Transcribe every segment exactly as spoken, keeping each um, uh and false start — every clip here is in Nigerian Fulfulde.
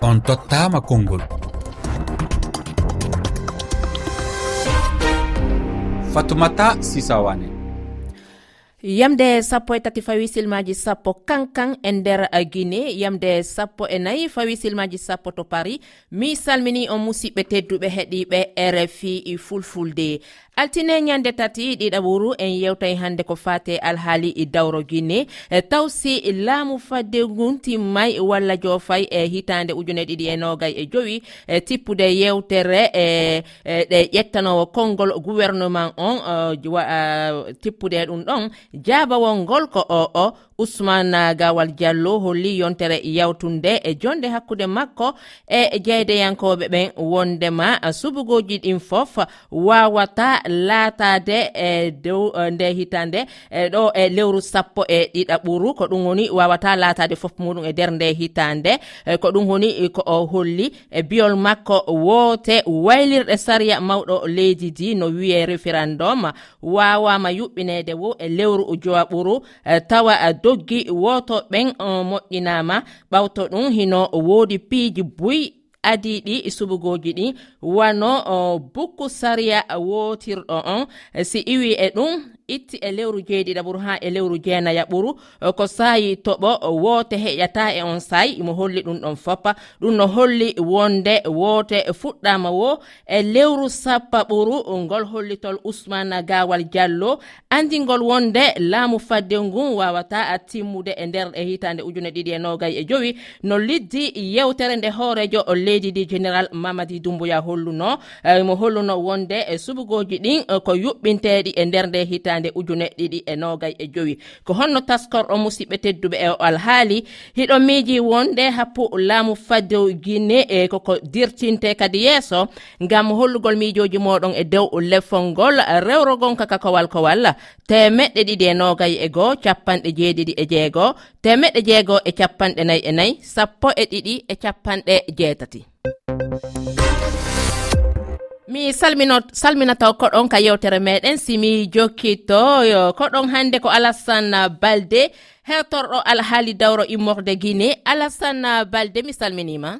On tottama konngol. Fatoumata Sisawane. Yamde sappo e tati fawi silmaji sappo kankan e nder Guinée, yamde sappo e nayi fawi silmaji sappo to Paris. Mi salmini on musidɓe tedduɓe heɗiɓe R F I Fulfulde. Altine nyande tati ɗiɗaɓuru en yewtay hande ko fate alhaali i dawro Guinée e tawsi laamu fadde guntimmay walla joofay e hitande ujune ɗiɗi e nogay e jowi e tippude yewtere e ɗe ƴettanowo konngol gouvernement on uh, tippude ɗum ɗon jaabawol ngol ko o o Ousmane Gawal Diallo holli yontere yawtunde e jonde hakkude makko e jeydeyankoɓe ɓen wondema subugoji ɗin fof wawata laatade e dow nde hitande e ɗo e lewru sappo e ɗiɗaɓuru ko ɗum woni wawata laatade fof muɗum e nder nde hitande ko ɗum woni ko o holli e biyol makko woote waylirɗe sariya mawɗo leydi di no wiye référendum wawama yuɓɓinede wo e lewru jowaɓuru tawa doggi woto ɓen moƴƴinama ɓawto ɗum hino woodi piiji buy adiɗi subugoji ɗi wano bukku sariya wotirɗo on si iwi e ɗum itti e lewru jeeɗiɗaɓuru ha e lewru jeenayaɓuru ko sayi toɓo woote heƴata e on sayi mo holli ɗum ɗon foppa ɗum no holli wonde woote fuɗɗama wo e lewru sappaɓuru ngol hollitol Ousmane Gawal Diallo andingol wonde laamu fadde ngun wawata timmude e nder e hitande ujune ɗiɗi e nogay e jowi no liddi yewtere nde hoorejo leydi di général Mamadi Doumbouya holluno mo holluno wonde e subugoji ɗin ko yuɓɓinteɗi e nder nde hitande nde ujune ɗiɗi e nogay e jowi ko honno taskorɗo musidɓe tedduɓe e alhaali hiɗo miiji wonde happu laamu fadde Guinée e koko dirtinte kadi yeeso ngam hollugol miijoji moɗon e dow lefol ngol rewrogon kaka kowal kowal temeɗɗe ɗiɗi e nogay e goo capanɗe jeeɗiɗi e jeegoo temeɗɗe jeegoo e capanɗe nayi e nayi sappo e ɗiɗi e capanɗe jeetati. Mi salmino salminata koɗon ka yewtere meɗen simi jokkito koɗon hande ko Alassane Balde hertorɗo alhaali dawro immorde Guinée. Alassane Balde mi salminima.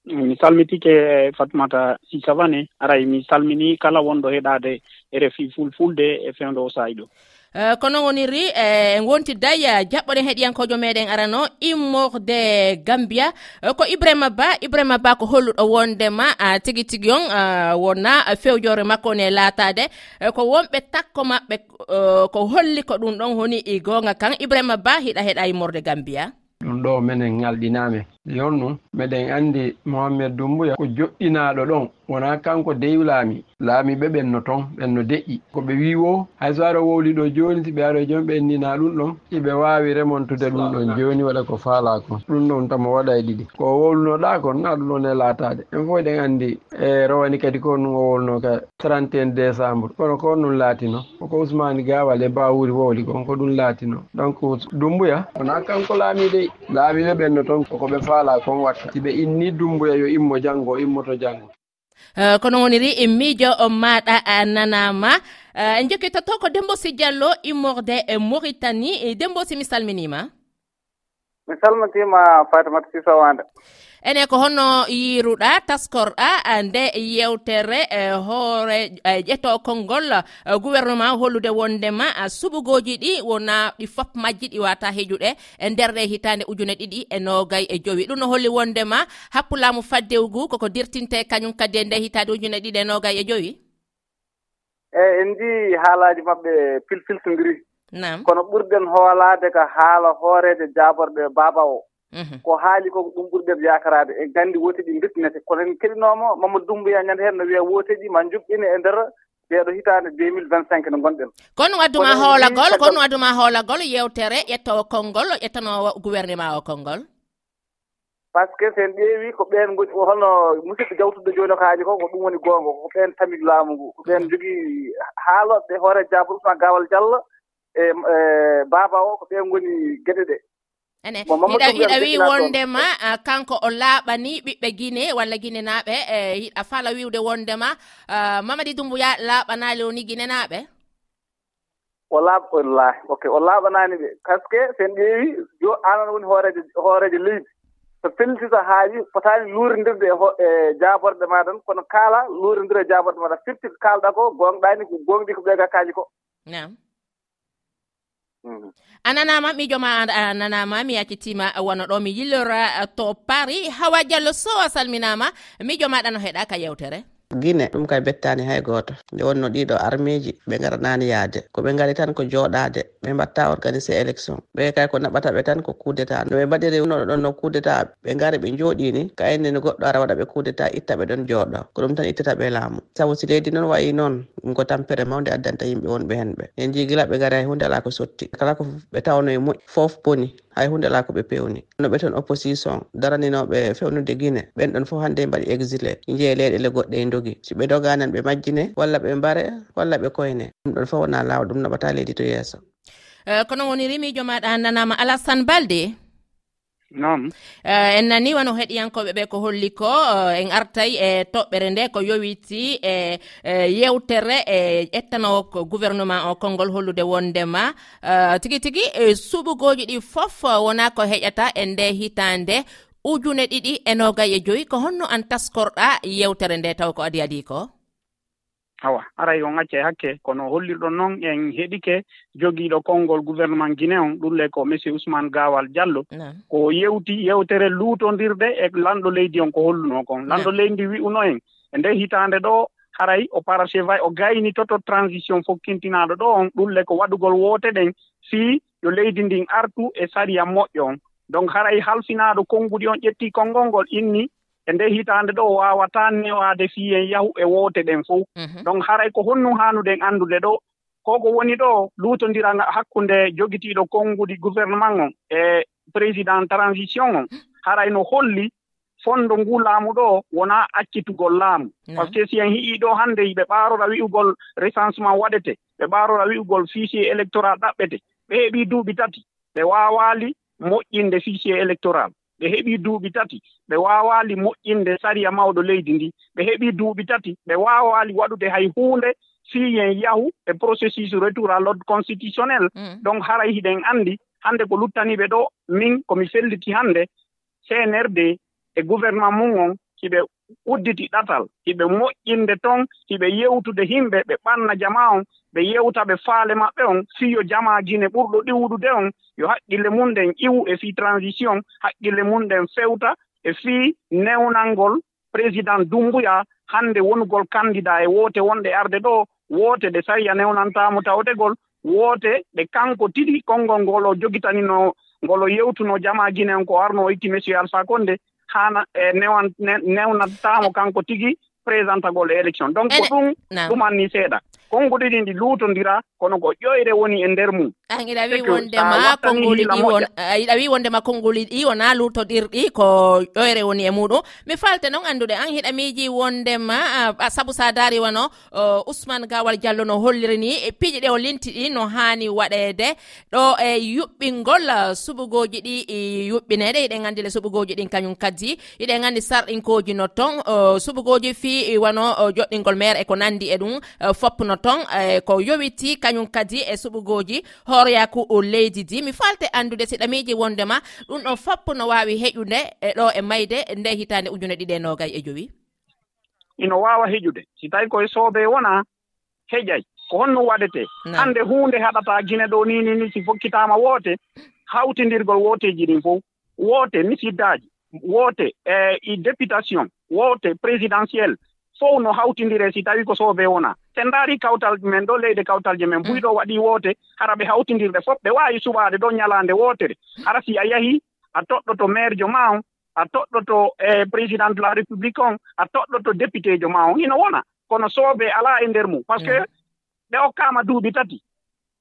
Mi salmitike Fatoumata Sisawane aray mi salmini kala wonɗo heɗade R F I Fulfulde e fewndo o sayiɗo. Uh, kono woniri e eh, wonti daya jaɓɓoɗen heɗiyankojo meɗen arano immorde Gambia uh, ko Ibrahima Ba Ibrahima Ba ko holluɗo wondema uh, tigi tigi on uh, wona uh, fewjore makko ne laatade uh, ko wonɓe takko maɓɓe uh, ko holli ko ɗum ɗon woni i gonga kan Ibrahima Ba hiɗa heɗa immorde Gambia ɗum ɗo menen ngalɗiname yonnu meɗen andi Mohamed Doumbouya ko joɗɗinaɗo ɗon wona kanko dewi laami laamiɓe ɓen no toon ɓen no deƴƴi ko ɓe wiwo hay so aɗa wowli ɗo joni si ɓe aɗa joni ɓe ennina ɗum ɗon iɓe wawi remontude ɗum ɗon joni waɗa ko faala kon ɗum ɗon tamo waɗa e ɗiɗi ko wowlunoɗa kon na ɗum ɗon e laatade en fof eɗen andi e rowani kadi ko ɗum o wolno ka trente et un décembre kono ko ɗum laatino koko Ousmane Gawal e Bawuri wowli kon ko ɗum laatino donc Doumbouya wona kanko laamiɗe laamiɓe ɓen no toon koko ɓe faala kon watta si ɓe inni Doumbouya yo immo janggo immoto janggo. Uh, kono woniri e miijo o maɗa uh, nanama en uh, jokkitoto ko Dembosi Diallo immorde e Mauritanie. Dembosi mi salminima. Mi salmitima Fatimata Sisawane. ene ko honno yiruɗa taskorɗa nde yewtere uh, hoore uh, ƴetto konngol uh, gouvernement hollude wondema uh, suɓugoji ɗi wona ɗi fop majji ɗi wata heƴuɗe e nder ɗe hitande ujune ɗiɗi e nogay e jowi ɗum no holli wondema happulamu faddewgu koko dirtinte kañum kadi e nde hitande ujune ɗiɗi e nogay e jowi eyyi en ji haalaji mabɓe pilfiltodiri nam kono ɓurɗen hoolade ko haala hoorede jaborɗe baba o Mm-hmm. ko haali ko ɗum ɓurɗen yakarade e gandi woteɗi bettinete kono en keɗinomo Mamadou Doumbouya ñande hen no wiya woteɗi ma juɓɓine e nder ɓeeɗo hitande deux mille vingt cinq no gonɗen kono wadduma hoolagol kono wadduma hoolagol yewtere ƴettowo konngol ƴettanowo gouvernement o konngol par ce que sen ƴeewi ko ɓen goni holno musidɗo jawtuɗo joni ko haaji ko ko ɗum woni gonga ko ɓen tami laamu ngu ko ɓen jogui haaloɓe hoore Diabo Ousmane Gawal Diallo e baba o ko ɓen goni gueɗe ɗe ene hiɗa hiɗa wi wondema uh, kanko o laaɓani ɓiɓɓe Guinée walla Guinée naaɓe e uh, hiɗa fala wiwde wondema uh, Mamadi Doumbouya laaɓanali woni Guinée naaɓe o laaɓ wallahi ok o laaɓanaani ɓe par ce que sen ƴeewi jo anan woni hoorejo hoorejo leydi so pellitita haaji fotaani luurindirde e jaaborde maa tan kono kaala luurindira e jaaborde maa tan firti ko kaalɗaa ko gonɗaani ko gonɗi ko ɓee gakkaaji ko nam a nanaama miijo ma a nanaama mi yaccitiima wona ɗo mi yillora to Paris. Hawa Diallo Sow a salminaama miijo maaɗa no heɗaa ka yewtere Guinée ɗum kay bettaani hay gooto nde wonno ɗiɗo armeeji ɓe ngaranaani yaade ko ɓe ngari tan ko jooɗaade ɓe mbatta organiser élection ɓe kay ko naɓata ɓe tan ko coup d'état no ɓe mbaɗiri no ɗon no coup d'état ɓe ngari ɓe jooɗii ni kayenne no goɗɗo ara waɗa ɓe coup d'état itta ɓe ɗon jooɗo ko ɗum tan ittata ɓe laamu sabu si leydi noon wayi noon ɗum ko tampere mawde addanta yimɓe wonɓe heen ɓe en jii gila ɓe ngari hay hunde alaa ko sotti kala ko ɓe tawno e moƴƴi fof boni hay hunde alaa ko ɓe pewni no ɓe toon opposition daraninoɓe fewnude Guinée ɓen ɗon fof hannde mbaɗi exilé njeye leyɗele goɗɗe e dogi si ɓe doganan ɓe majjine walla ɓe mbare walla ɓe koyne ɗum ɗon fof wona laawa ɗum naɓata leydi to yeeso uh, kono woni rimijo maɗa nanama Alassane Balde non uh, en nani wano heɗiyankoɓe ɓe ko holli ko uh, en artay e toɓɓere nde ko yowiti e uh, yewtere e ƴettano ko gouvernement o konngol hollude wondema uh, tigi tigi uh, suɓugoji ɗi fof uh, wona ko heƴata e nde hitande ujune ɗiɗi e nogay e joyi ko honno an taskorɗa yewtere nde taw ko adi adi ko awa aray on acce hakke kono hollirɗon noon en heɗike jogiiɗo konngol gouvernement Guinée on ɗulle ko monsieur Ousmane Gawal Diallo ko yewti yewtere luutondirde e lanɗo leydi on ko holluno kon lanɗo leydi wi'uno en e nde hitande ɗo haray o parachevay o gayni toto transition fokkintinaɗo ɗo on ɗulle ko waɗugol woote ɗen fii yo leydi ndin artu e sariya moƴƴo on donc haray halfinaɗo konngudi on ƴetti konngol ngol inni e nde hitande ɗo wawata newade fiyen yahu e woote ɗen fof mm-hmm. donc haray ko honnu hanuɗen andude ɗo koko woni ɗo luutodira hakkunde jogitiɗo konngudi gouvernement on e président transition on haray no holli fondo ngu laamu ɗo wona accitugol laamu no. par ce que si en hi'i ɗo hannde ɓe ɓaarora wi'ugol recensement waɗete ɓe ɓaarora wi'ugol fichier électoral ɗaɓɓete ɓe heeɓi duuɓi tati ɓe waawali moƴƴinde fichier électoral ɓe heɓi duuɓi tati ɓe waawali moƴƴinde sariya mawɗo leydi ndi ɓe heɓi duuɓi tati ɓe waawali waɗude hay huunde fiyen yahu e processus retour à l'ordre constitutionnel mm. donc haray hiɗen anndi hannde ko luttaniɓe ɗo min komi felliti hannde C N R D e gouvernement mum on hiɓe udditi ɗatal hiɓe moƴƴinde toon hiɓe yewtude himɓe ɓe ɓanna jama on ɓe yewta ɓe faale maɓɓe on fiyo jama Guinée ɓurɗo ɗiwɗude on yo haqqille mum ɗen iwu e fii transition haqqille mum ɗen fewta e fii newnalngol président Doumbouya hannde wonugol candidat e woote wonɗe arde ɗo woote ɗe sariya newnantamo tawtegol woote ɗe kanko tiɗi konngol ngol o jogitanino ngol o yewtuno jama Guinée on ko arno o itti monsieur Alpha Condé hana e newan newnatamo kanko tigi présentagol e élection donc ko ɗum ɗum anni seeɗa konngudi ɗi ndi luutondira kono ko ƴoyre woni e nder mum an iɗa wi wondema konnguli ɗi won iɗa wi wondema konnguli ɗi wona luutodirɗi ko ƴoyre woni e muɗum mi falte noon anndude an hiɗa miiji wondema sabu sa daari wano uh, Ousmane Gawal Diallo no holliri ni e piiƴi ɗe o linti ɗi no haani waɗede ɗo e yuɓɓingol suɓugoji ɗi yuɓɓineɗe iɗen anndi le suɓugoji ɗin kañum kaddi iɗen anndi sarɗinkoji no ton uh, suɓugoji fi wano uh, joɗɗingol maire e ko nandi e ɗum uh, foppno ton uh, ko yowiti kañum kadi e suɓugoji hooryaku o leydi di mi falte andude siɗa miiji wondema ɗum ɗon foppu no wawi heƴude e ɗo e mayde nde hitande ujune ɗiɗi e nogay e jowi ino wawa heƴude si tawi koye soobe wona heƴay ko honno waɗete hande hunde haɗata Guinée ɗo nini ni si fokkitama woote hawtindirgol wooteji ɗin fof woote misiddaji woote e députation woote présidentiel fof no hawtindire si tawi ko soobe wona sen ndaari kawtal men ɗo leyde kawtalje men buyɗo waɗi woote hara ɓe hawtindirde fof ɓe waawi suɓaade ɗo ñalaande wootere hara si a yahii a toɗɗoto maire jo ma on a toɗɗoto e président de la république on a toɗɗoto député jo ma on hino wona kono soobe alaa e ndeer mum par ce que ɓe okkaama duuɓi tati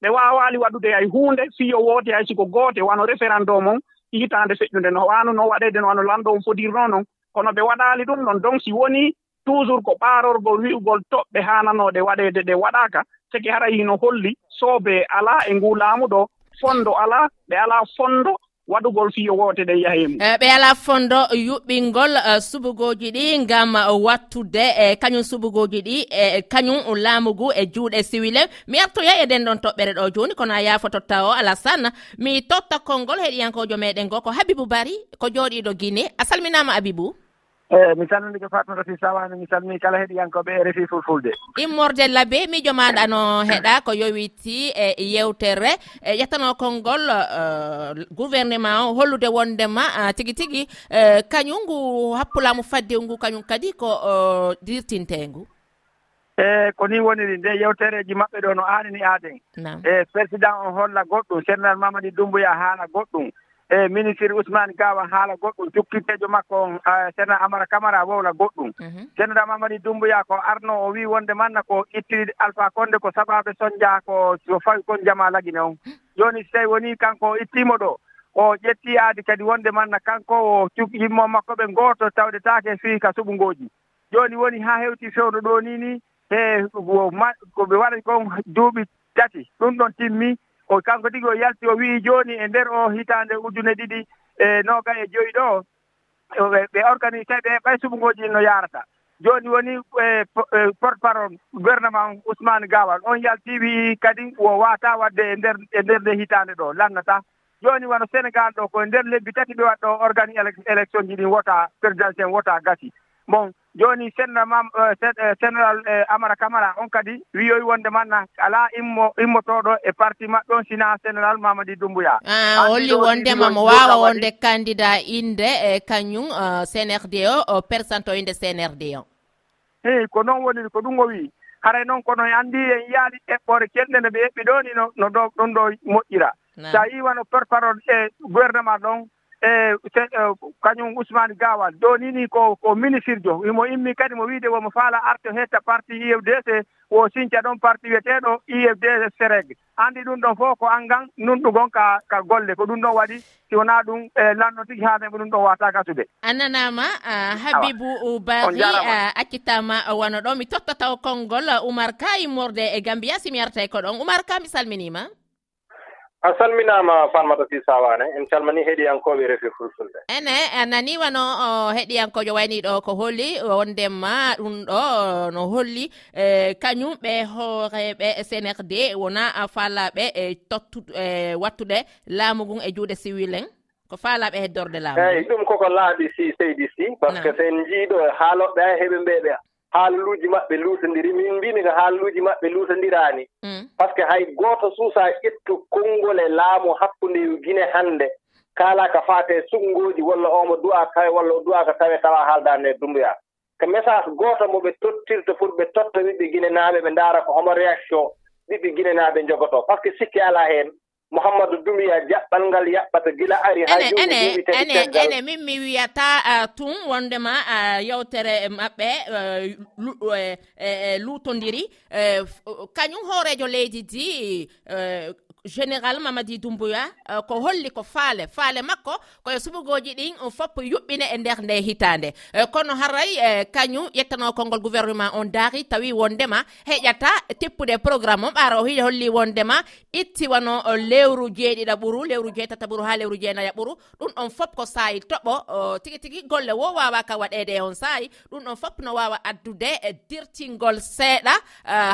ɓe waawaali waɗude hay huunde fiyo woote hay siko goote wano référendum on hitaande feƴƴunde no waano no waɗeede no wano lanɗo on fodirnoo noon kono ɓe waɗaali ɗum ɗon donc si wonii toujours ko ɓaarorgol wi'ugol toɓɓe haananooɗe waɗeede ɗe waɗaaka seki hara hino holli soobe alaa e nguu laamu ɗo fondo alaa ɓe alaa fondo waɗugol fiyo wote ɗe yahemu ɓe ala fondo yuɓɓingol subugoji ɗi ngam wattude e kañum subugoji ɗi e kañum laamugu e juuɗe siwile mi artoya e den ɗon toɓɓere ɗo joni kono a yafototta o Alassane mi totta konngol heɗiyankojo meɗen go ko Habibou Bary ko jooɗiɗo Guinée a salminama Habibou. eyi mi salmini ko Fatmata Sy Sawane mi salmini kala heɗiyankoɓe e R F I Fulfulde. immorde labbe miijo maɗa no heɗa ko yowiti e yewtere e ƴettano konngol gouvernement o hollude wondema tigi tigi kañum ngu happulamu fadde ngu kañum kadi ko dirtintengu. e ko ni woniri nde yewtereji maɓɓe ɗo no anini aden e président o holla goɗɗum général Mamadi Doumbouya haala goɗɗum e ministre Ousmane Gawa haala goɗɗum jukkitejo makko sénéral Amara Camara wowla goɗɗum général Mamadi Doumbouya ko arno o wi wonde manna ko itti Alpha Condé ko sabaɓe soñdia ko so fawi kon jama lagine on joni so tawi woni kanko o ittimo ɗo o ƴetti aadi kadi wonde manna kanko o yimmo makko ɓe goto tawɗetake fii ka suɓugoji joni woni ha hewti fewno ɗo ni ni e ko ɓe waɗi kon duuɓi tati ɗum ɗon timmi o kanko tigi o yalti o wii jooni e ndeer o hitaande ujune ɗiɗi e nooga e joyi ɗo ɓe organisé ɓe ɓay suɓugooji no yaarata jooni woni porte parole gouvernement Ousmane Gawal on yaltii wii kadi o waata wadde e ndeer e ndeer nde hitaande ɗo lannata jooni wano Sénégal ɗo ko ndeer lebbi tati ɓe waɗ ɗo organise élection ji ɗin wota présidentiel wota gasi bon joni sénéral mam général Amara Camara on kadi wiyoyi wonde manna ala immo immotoɗo e parti maɓɓe on sina général Mamadi Doumbouya ah holli wondema mo wawa wonde candidat inde e kañum C N R D o percento inde C N R D o eyi ko noon woniri ko ɗum o wi haray noon kono andi en yaali eɓɓore kelɗe nde ɓe eɓɓi ɗo ni no no ɗo ɗum ɗo moƴƴira sa yi wano porte parole e gouvernement ɗon e kañum Ousmane Gawal do nini ko ko ministre jo imo immi kadi mo wiide womo faala arto hetta parti I F D C wo sinca ɗon parti wiyeteɗo I F D C Sereg andi ɗum ɗon fof ko angan nunɗugon ka ka golle ko ɗum ɗon waɗi si wona ɗum e lanno tigi haadeɓe ɗum ɗon wata gasude annanama Habibou Bary accitama wano ɗo mi tottataw konngol Oumar Ka immorde e Gambia simi artay ko ɗon Oumar Ka mi salminima a salminama Fatmata Sy Sawane en calmini heɗiyankoɓe R F I Fulfulde ene nani wano heɗiyankojo wayni ɗo ko holli wondema ɗum ɗo no holli kañum ɓe hooreɓe C N R D wona faalaɓe e tottude e wattude laamu ngun e juuɗe civil en ko faalaɓe heddorde laamu eyyi ɗum koko laaɓi si seydi si par ce que sen jiiɗo haaloɓe a heeɓe mbeɓe haaluuji maɓɓe luutondiri min mbimi ko haaluuji maɓɓe luutondirani par ce que hay gooto suusa ƴettu konngol e laamu hakkunde Guinée hannde kaala ka faate suɓngooji walla omo du'a tawe walla o du'a ko tawe tawa haaldande e Doumbouya ko message gooto mo ɓe tottirta pour ɓe totta ɓiɓɓe Guinée naaɓe ɓe ndaara ko homo réaction ɓiɓɓe Guinée naaɓe jogoto par ce que sikki ala heen Mouhamadou Doumbouya jaɓɓal ngal yaɓɓata gila ari ha ene ene ene ene min mi wiyata tun wondema yewtere maɓɓe luutondiri kañum hoorejo leydi di général Mamadi Doumbouya ko holli ko faale faale makko koye suɓugoji ɗin fopp yuɓɓine e nder nde hitande kono haray kañum ƴettano konngol gouvernement on daari tawi wondema heƴata teppude programme o ɓaara o hi holli wondema itti wano lewru jeeɗiɗa ɓuru lewru jeetata ɓuru ha lewru jeenaya ɓuru ɗum ɗon fopp ko saayi toɓo tigi tigi golle wo wawa ka waɗede e on saayi ɗum ɗon fopp no wawa addude e dirtingol seeɗa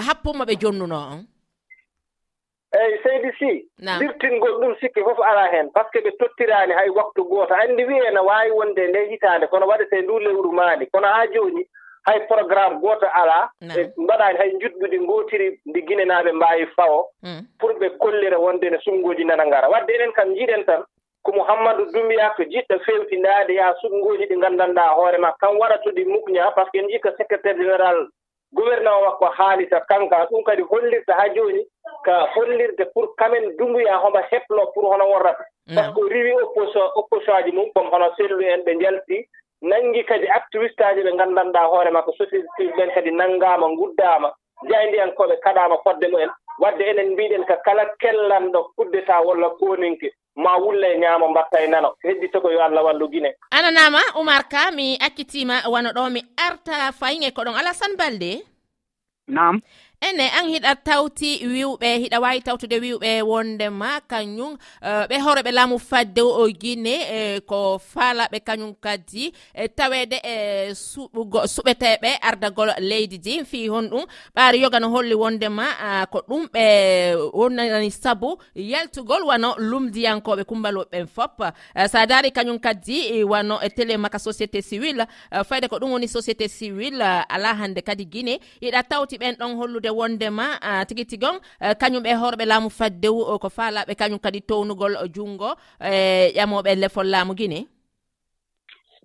happumo ɓe jonnuno on eyyi seydi si dirtingol ɗum sikki fof ala heen par ce que ɓe tottirani hay waktu gooto andi wiye no wawi wonde nde hitande kono waɗete ndu lewru maani kono ha joni hay programme gooto ala e mbaɗani hay jutɓude gootiri ndi Guinée naaɓe mbawi fawo pour ɓe kollira wonde no suɓgoji nana ngara wadde enen kam jiiɗen tan ko Mouhamadou Doumbouya ko jiɗɗo fewtindade ya suɓgoji ɗi gandanɗa hoore ma kam waɗatude mukña par ce que en jii ko secrétaire général gouvernement makko haalita kanka ɗum kadi hollirta ha joni ka hollirde pour kamen Doumbouya homo heplo pour hono worrata par ce que riwi opposition opposition aji mum comme hono sellu en ɓe jalti nangi kadi activiste aji ɓe gandanɗa hoore makko société ɓen kadi nanngama guddama jaydiyankoɓe kaɗama fodde mumen wadde enen mbiɗen ko kala kellanɗo kuddeta walla koninke ma wulla e ñaamo mbatta e nano heddito ko yo Allah wallu Guinée ananama Oumar Ka mi accitima wano ɗo mi arta fayin e ko ɗon Alassane Baldé Naam ene an hiɗa tawti wiwɓe hiɗa wawi tawtude wiwɓe wondema kañum ɓe horeɓe laamu fadde o Guinée e ko faalaɓe kañum kadi e tawede e suɓugo suɓeteɓe ardagol leydi di fi honɗum ɓaari yoga no holli wondema ko ɗum ɓe wonnani sabu yaltugol wano lumdiyankoɓe kumbaloɓe fop sa daari kañum kadi wano e télé maka société civile fayde ko ɗum woni société civile ala hande kadi Guinée yiɗa tawti ɓen ɗon hollude wondema tigi tigon kañum ɓe horɓe laamu faddewu ko faalaɓe kañum kadi townugol jungo e ƴamoɓe lefol laamu Guinée.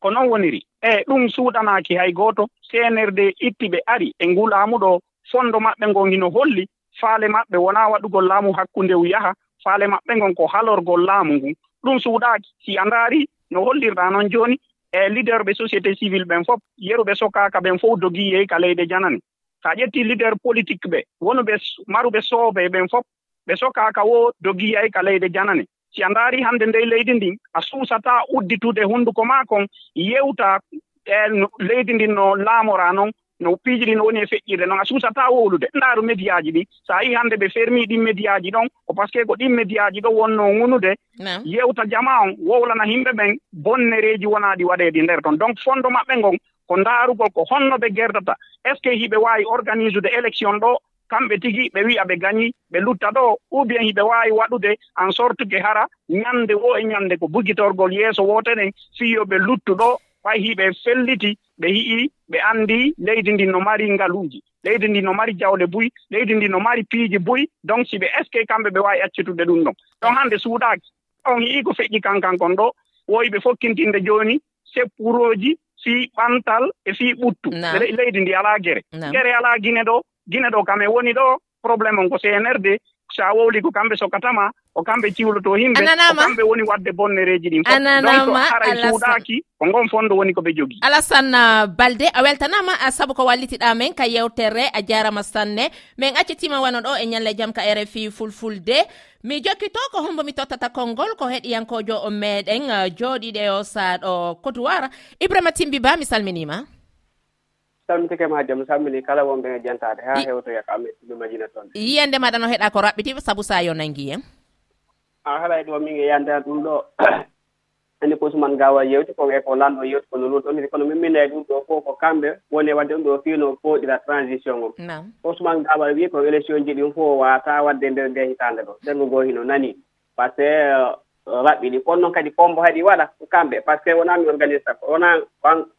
Ko noon woniri e ɗum suuɗanaaki hay gooto C N R D itti ɓe ari e nguu laamu ɗo fondo maɓɓe ngon hino holli faale maɓɓe wonaa waɗugol laamu hakkunde yaha faale maɓɓe ngon ko halorgol laamu ngun ɗum suuɗaaki si a ndaari no hollirɗaa noon jooni e leader ɓe société civile ɓen fof yeruɓe sokaaka ɓen fof dogii yey ka leyde janane so a ƴettii leader politique ɓe wonuɓe maruɓe soobe ɓen fof ɓe sokaaka wo dogii yey ka leyde janane si a ndaari hannde ndey leydi ndin a suusataa udditude hunnduko maa kon yewta e leydi ndin no laamoraa noon no piiji ɗi no woni e feƴƴirde noon a suusataa wowlude ndaaru médiaji ɗi so a yii hannde ɓe fermii ɗin médiaji ɗon ko par ce que ko ɗin médiaji ɗo wonnoo ŋunude yewta jama on wowlana yimɓe ɓen bonnereeji wonaa ɗi waɗeedi nder toon donc fondo maɓɓe ngon ko ndaarugol ko honno ɓe gerdata est ce que hiɓe waawi organise de élection ɗo kamɓe tigi ɓe wi'a ɓe gañi ɓe lutta ɗo ou bien hiɓe waawi waɗude en sorte que hara ñannde wo e ñannde ko bugitorgol yeeso wooteɗen fiyo ɓe luttu ɗo fay hiɓe felliti ɓe yi'i ɓe anndi leydi ndi no mari ngaluuji leydi ndi no mari jawle buy leydi ndi no mari piiji buy donc si ɓe est ce que kamɓe ɓe waawi accitude ɗum ɗon ɗon hannde suuɗaaki on yi'i ko feƴƴi kankan kon ɗo woyi ɓe fokkintinde jooni seppuroji fii ɓantal e fii ɓuttu leydi ndi alaa gere gere alaa Guinée ɗo Guinée ɗo kam e woni ɗo probléme on ko C N R D so a wowli ko kamɓe sokatama ko kamɓe ciwloto yimɓe ko kamɓe woni wadde bonnereeji ɗin fof donc haray suuɗaaki ko ngon fondo woni ko ɓe jogii. Alassane Balde a weltanama sabu ko wallitiɗa men ka yewtere a jarama sanne min accitima wano ɗo e ñalle jaam ka R F I fulfulde mi jokkito ko hombo mi tottata konngol ko heɗiyankojo o meɗen jooɗiɗe o saaɗo Côte-d'Ivoire Ibrahima Timbiba mi salminima. salmitike ma jam salmini kala wonɓe e jantade ha hewtoya ko amen ɗum majina toon yiyande maɗa no heɗa ko raɓɓiti sabu sa yo nangi en a haɗay ɗo min e yande ɗum ɗo andi ko Ousmane Gawal yewti ko e ko lanɗo yewti kono lun ɗon kono min minnayi ɗum ɗo fof ko kamɓe woni wadde ɗum ɗo fiino fooɗira transition on Ousmane Gawal wi ko élection ji ɗin fof wata wadde nder nde hitande ɗo sengo goo hino nani par ce que raɓɓiɗi kono noon kadi pombo haɗi waɗa kamɓe par ce que wona mi organise wona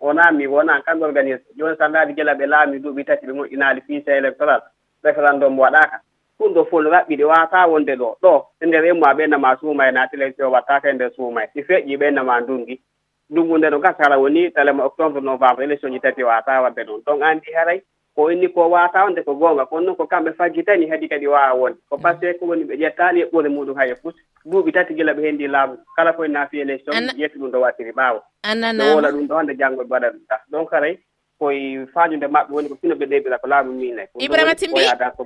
wona mi wona kamɓe organise joni so ndaari gila ɓe laami duuɓi tati ɓe moƴƴinaali fiise électoral référendum waɗaka ɗum ɗo fof raɓɓiɗi wawata wonde ɗo ɗo e nder emmoa ɓennama suuma e naati élection wattaka e nder suuma si feƴƴi ɓennama ndungi ndungu nde no gasara woni talema octobre novembre élection ji tati wawata wadde ɗon donc andi haray ko inni ko wawata wonde ko goonga kono noon ko kamɓe fajjitani hadi kadi wawa wonde ko par ce que ko woni ɓe ƴettani e ɓore muɗum haye fut duuɓi tati gila ɓe hendi laamu kala koye naafi élection ƴetti ɗum ɗo wattiri ɓaawo ɓe wola ɗum ɗo hande janggo ɓe waɗa ɗum ta donc haray koye fañude maɓɓe woni ko fino ɓe ɗeɓira ko laamu minay Ibrahima Timbi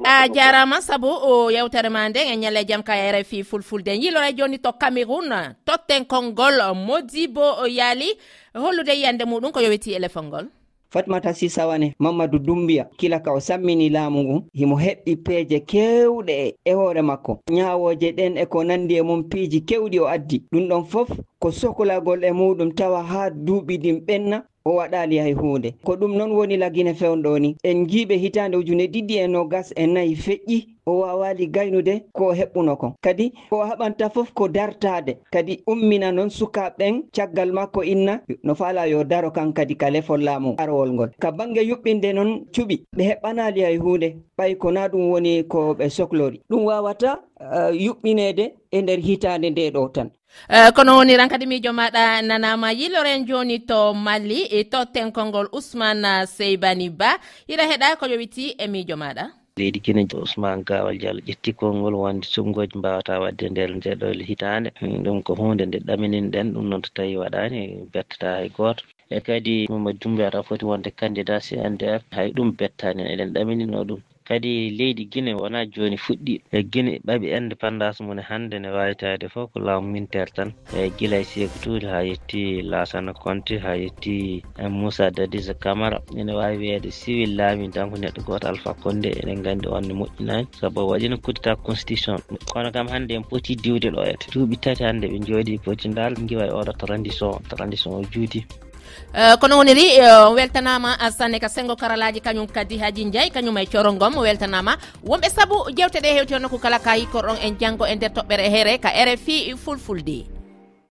a jarama saabu o yewtere ma nde e ñalle jaam ka R F I fulfulde yilore joni to Cameroun totten konngol Modibo yaali hollude yiyande muɗum ko yowiti éléphant ngol Fatmata Sisawane Mamadou Doumbia kila ka o sammini laamu ngun himo heɓɓi peeje kewɗe e hoore makko ñaawoje ɗen e ko nandi e mum piiji kewɗi o addi ɗum ɗon fof ko sohlagol e muɗum tawa ha duuɓi ɗin ɓenna o waɗali hay hunde ko ɗum noon woni lagine fewnɗo ni en jiiɓe hitande ujune ɗiɗi e nogas e nayyi feƴƴi o wawali gaynude ko heɓɓuno kon kadi ko haɓanta fof ko dartade kadi ummina noon sukaɓen caggal makko inna no faala yo daro kan kadi ka lefol laamu arwol ngol ka bange yuɓɓinde noon cuɓi ɓe heɓɓanali hay hunde ɓay ko na ɗum woni ko ɓe sohlori ɗum wawata uh, yuɓɓinede e nder hitande nde ɗo tan Uh, kono woni ran kadi miijo maɗa nanama yiloren joni to Mali e totten konngol Ousmane Seybani Ba ira heɗa ko yowiti e miijo maɗa leydi Guinée Ousmane Gawal Diallo ƴetti konngol wonde sumgoji mbawata wadde nder nde ɗo hitande ɗum ko hunde nde ɗaminin ɗum noon to tawi waɗani bettata hay goto e kadi Mamadou Doumbia ata foti wonde candidat C N D F hay ɗum bettani eɗen ɗaminino ɗum kadi leydi Guinée wona joni fuɗɗi e Guinée ɓaɓi indépendance mum hande ne wayitade fof ko laamu militaire tan e gila e Sékou Touré ha yetti Lassana Conté ha yetti Moussa Dadis Camara ene wawi wiyede civil laami tan ko neɗɗo goto Alpha Condé enen gandi on ne moƴƴinani sabu waɗino kuddita constitution kono kam hande en poti diwde ɗo ete duuɓi tati hande ɓe jooɗi poti dal giwa e oɗo transition transition o juuti. Uh, kono woniri uh, weltanama sanne ka sengo karalaji kañum kadi Haji Ndiaye kañum e corongom weltanama wonɓe saabu jewteɗe hewti on ko kala kayi korɗon en janggo e nder toɓɓere here ka R F I fulfulde.